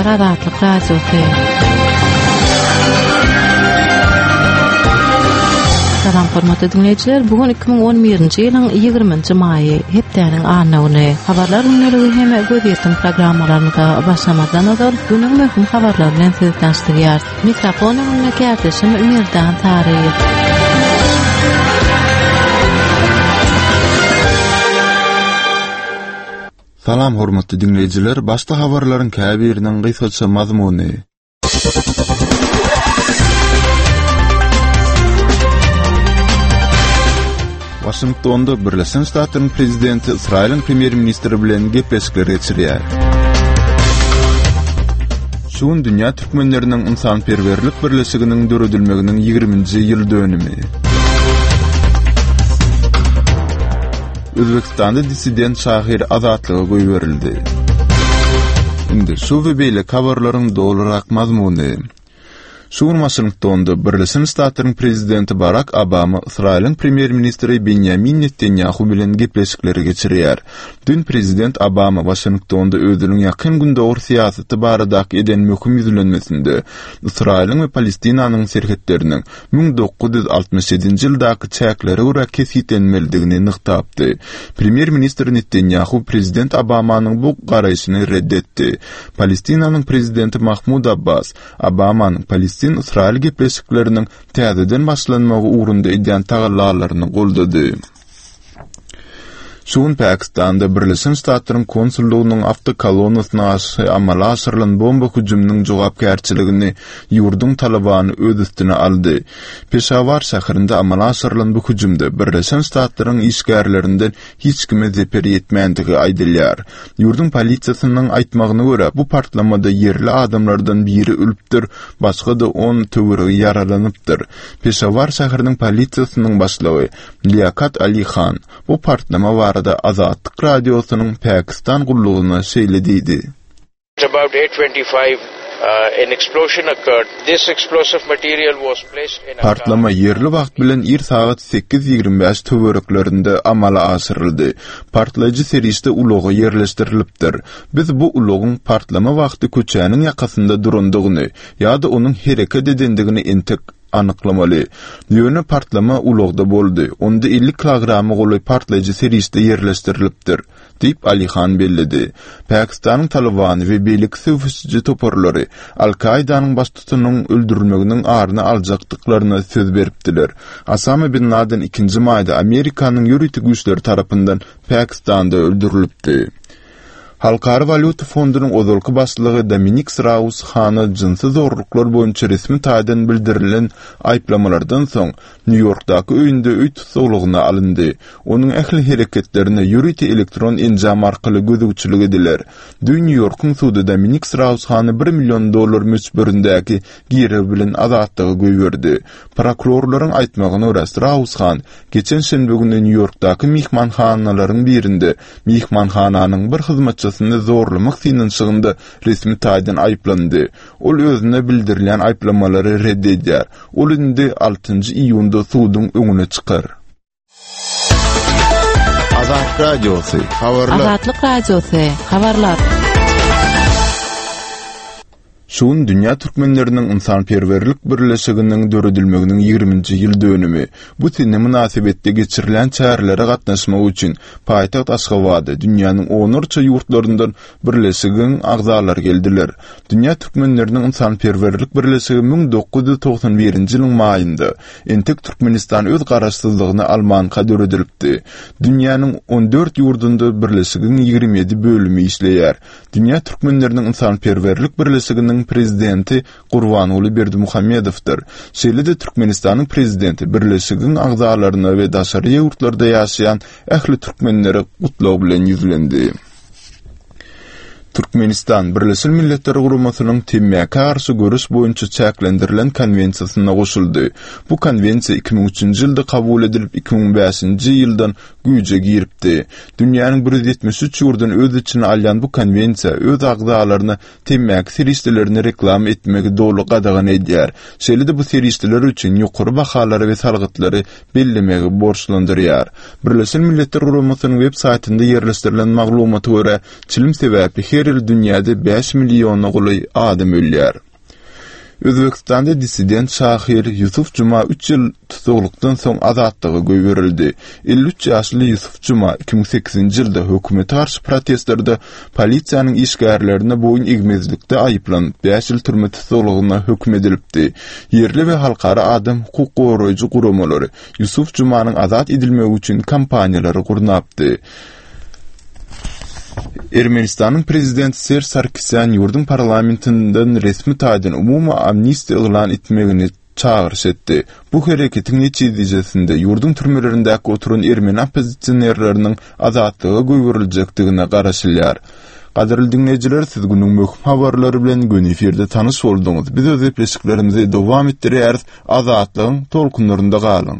diňleýär Azatlyk Radiosy. Salam hormatly diňleýjiler, bu gün 2011-nji ýylyň 20-nji maýy, hepdäniň anna güni. Habarlar gündeligi hem gözýetim programmalarymyza başlamazdan ozal günüň möhüm habarlary bilen sizi tanyşdyrýarys. Mikrofon öňünde kärdeşim Merdan Saryýew. Salam hormatly diňleýjiler, başda habarlaryň käbiriniň gysgaça mazmuny. Waşingtonda Birleşen Ştatlaryň prezidenti Ysraýylyň premýer-ministri bilen gepleşikler geçirýär. Şu gün dünýä türkmenleriniň ynsanperwerlik birleşiginiň döredilmeginiň 20-nji ýyl dönümi. Özbekistanda dissident şahyr azatlyga goýberildi. Indi şu we beýleki habarlaryň dolurak mazmuny. Şu gün Waşingtonda Birleşen Ştatlaryň prezidenti Barak Obama Ysraýylyň premýer-ministri Benýamin Netanýahu bilen gepleşikleri geçirýär. Düýn prezident Obama Waşingtonda özüniň Ýakyn Gündogar syýasaty baradaky eden möhüm ýüzlenmesinde Ysraýylyň we Palestinanyň serhetleriniň 1967-nji ýyldaky çäklere görä kesgitlenmelidigini nygtapdy. Premýer-ministr Netanýahu prezident Obamanyň bu garaýşyny red etdi. Palestinanyň prezidenti Mahmud Abbas Obamanyň palestin-ysraýyl gepleşikleriniň täzeden başlanmagy ugrunda edýän tagallalaryny goldady. Şu gün Pakistanda Birleşen Ştatlaryň konsullygynyň awtokolonnasyna garşy amala aşyrylan bomba hüjüminiň jogapkärçiligini ýurduň Talybany öz üstüne aldy. Peşawar şäherinde amala aşyrylan bu hüjümde Birleşen Ştatlaryň işgärlerinden hiç kime zeper ýetmändigi aýdylýar. Ýurduň polisiýasynyň aýtmagyna görä, bu partlamada ýerli adamlardan biri ölüpdir, başga-da on töweregi ýaralanypdyr. Peşawar şäheriniň polisiýasynyň başlygy Liakat Ali Han bu partlama barada Azatlyk Radiosynyň Pakistan gullugyna şeýle diýdi. Partlama ýerli wagt bilen ir sagat 8:25 töwereklerinde amala aşyryldy. Partlaýjy serişde ulaga ýerleşdirilipdir. Biz bu ulagyň partlama wagty köçäniň ýakasynda durandygyny ýa-da onuň hereket edendigini entek anyklamaly. Ýöne partlama ulagda boldy. Onda 50 kilograma golaý partlaýjy serişde ýerleşdirilipdir. Diýip, Alihan belledi. Pakistanyň Talybany we beýleki söweşiji toparlary Al-Kaidanyň baştutanynyň öldürilmeginiň aryny aljakdyklaryna söz beripdiler. Osama bin Laden ikinji maýda Amerikanyň ýörite güýçleri tarapyndan Pakistanda öldürilipdi. Halkara walýuta fondunyň ozalky başlygy Dominik Sraus Hana jynsy zorluklar boýunça resmi taýdan bildirilen aýyplamalardan soň, Nýu-Ýorkdaky öýünde öý tussaglygyna alyndy. Onuň ähli hereketlerine ýörite elektron enjam arkaly gözegçilik ediler. Düýn Nýu-Ýorkuň sudy Dominik Sraus-Hany bir million dollar möçberindäki girew bilen azatlyga goýberdi. Prokurorlaryň aýtmagyna görä, Sraus-Han geçen şenbe güni Nýu-Ýorkdaky myhmanhanalaryň birinde myhmanhananyň bir hyzmatçysyny zorlamak synanyşygynda resmi taýdan aýyplandy. Ol özüne bildirilýän aýyplamalary red edýär. Ol indi altynjy iýunda suduň öňüne çykar. Azatlyk Radiosy, habarlar. Azatlyk Radiosy, habarlar. Şu gün Dünýä türkmenleriniň ynsanperwerlik birleşiginiň döredilmeginiň ýigriminji ýyl dönümi. Bu sene mynasybetli geçirilýän çärelere gatnaşmak üçin paýtagt Aşgabada dünýäniň onlarça ýurtlaryndan birleşigiň agzalary geldiler. Dünýä türkmenleriniň ynsanperwerlik birleşigi 1991-nji ýylyň maýynda, entek Türkmenistan öz garaşsyzlygyny almanka döredilipdi. Dünýäniň on dört ýurdunda birleşigiň 27 bölümi işleýär. Dünýä türkmenleriniň ynsanperwerlik birleşiginiň prezidenti Gurbanguly Berdimuhamedowdyr. Şeýle-de Türkmenistanyň prezidenti birleşigiň agzalaryna we daşary ýurtlarda ýaşaýan ähli türkmenlere gutlag bilen ýüzlendi. Türkmenistan Birleşen Milletler Guramasynyň Temmäkä garşy göreş boýunça çäklendirilen konwensiýasyna goşuldy. Bu konwensiýa 2003-nji ýylda kabul edilip, 2005-nji ýyldan. güýje giripdi. Dünýäniň 173 ýurduny öz içine alýan bu konwensiýa öz agzalaryna temmäki serişdelerini reklama etmegi doly gadagan edýär. Şeýle-de bu serişdeler üçin ýokary bahalary we salgytlary bellemegi borçlandyrýar. Birleşen Milletler Guramasynyň web saýtynda ýerleşdirilen maglumata görä, çilim sebäpli her ýyl dünýäde bäş milliona golaý adam ölýär. Özbegistanda dissident şahyr Ýusuf Juma üç ýyl tussaglykdan soň azatlyga goýberildi. 53 ýaşly Ýusuf Juma 2008-nji ýylda hökümete garşy protestlerde polisiýanyň işgärlerine boýun egmezlikde aýyplanyp, bäş ýyl türme tussaglygyna höküm edilipdi. Ýerli we halkara adam hukuk goraýjy guramalary Ýusuf Jumanyň azat edilmegi üçin kampaniýalary gurnapdy. Ermenistanyň prezidenti Serž Sarkisýan ýurduň parlamentinden resmi taýdan umumy amnistiýa yglan etmegini çagyryş etdi. Bu hereketiň netijesinde ýurduň türmelerindäki oturan ermeni oppozisionerleriniň azatlyga goýberiljekdigine garaşylýar. Gadyrly diňleýjiler, siz günüň möhüm habarlary bilen göni efirde tanyş bolduňyz. Biz öz gepleşiklerimizi dowam etdirýäris. Azatlygyň tolkunlarynda galyň!